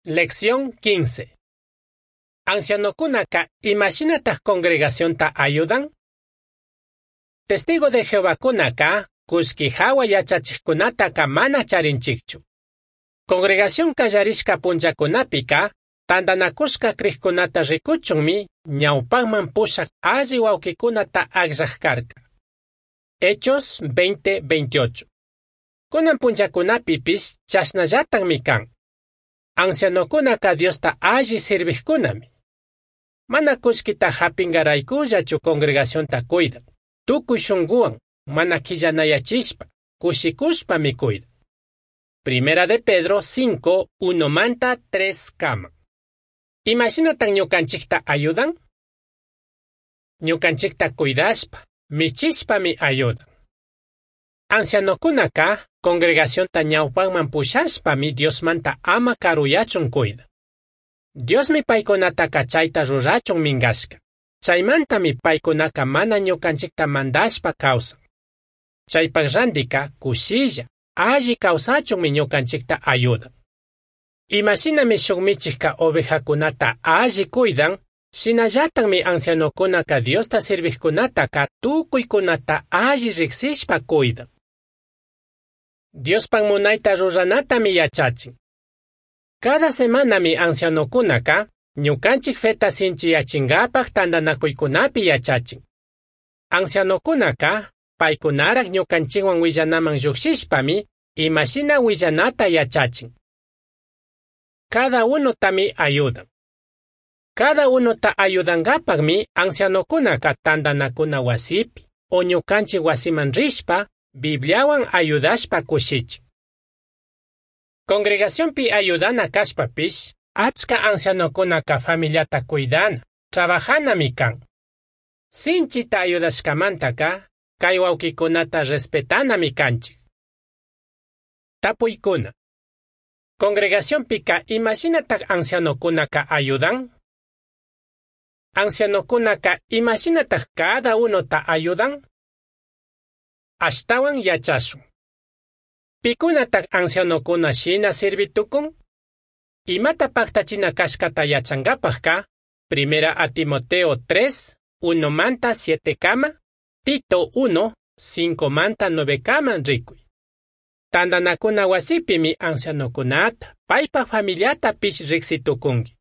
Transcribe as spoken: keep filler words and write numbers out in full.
Lección quince. Ancianocunaca imashinataj congregacionta ayudan? Testigo de Jehovacunaca cullqui jahua yachachijcunataca mana charinchijchu. Congregación callarishca punllacunapica tandanacushca crijcunata ricuchunmi ñaupajman pushaj alli huauquicunata agllaj carca. Hechos veinte veintiocho. Cunan punllacunapipish chashnallatajmi can. Ancianocunaca Diosta alli sirvijcunami. Mana cullquita japingaraycullachu congregacionta cuidan. Tukuy shunguwan mana quillanayachishpa, cushicushpami cuidan. Primera de Pedro cinco, uno manta tres kama. Imashinatan ñukanchikta ayudan? Ñukanchikta cuidashpa, michishpami ayudan. Ancianokunaka congregacionta ñawpajman pushashpami Diosmanta ama karuyachun cuidan. Diosmi paykunataka chayta rurachun mingashka. Chaymantami paykunaka mana ñukanchikta mandashpa kawsan. Chaypaj randika kushilla, alli kawsachunmi ñukanchikta ayudan. Imashinami shuk michijka ovejakunata alli cuidan, shinallatajmi ancianokunaka Diosta sirvijkunataka tukuykunata alli riksishpa cuidan. Diospaj munayta ruranatami yachachin. Cada semanami ancianokunaka ñukanchik feta sinchiyachingapaj tandanakuykunapi yachachin. Ancianokunaka paykunaraj ñukanchikwan willanaman llujshishpami imashina willanata yachachin. Cada unotami ayudan. Cada unota ayudangapajmi ancianokunaka tandanakuna wasipi o ñukanchik wasiman rishpa Bibliawan ayudashpa kushichin. Congregacionpi ayudana kashpapish, achka ancianokunaka familiata cuidana, trabajanami kan. Sinchita ayudashkamantaka, kay wawqikunata respetanami kanchik. Tapuykuna. Congregacionpika imashinataj ancianokunaka ayudan? Ancianokunaka imashinataj cada unota ayudan? Ashtawan yachashun. Pikunataj ancianokuna shina sirvitukun? Imata pajtachina kashkata yachankapajka, Primera a Timoteo tres, uno manta siete kama, Tito uno, cinco manta nueve kama rikuy. Tandanakuna wasipimi ancianokunata, paypaj familiata pish riksitukunki.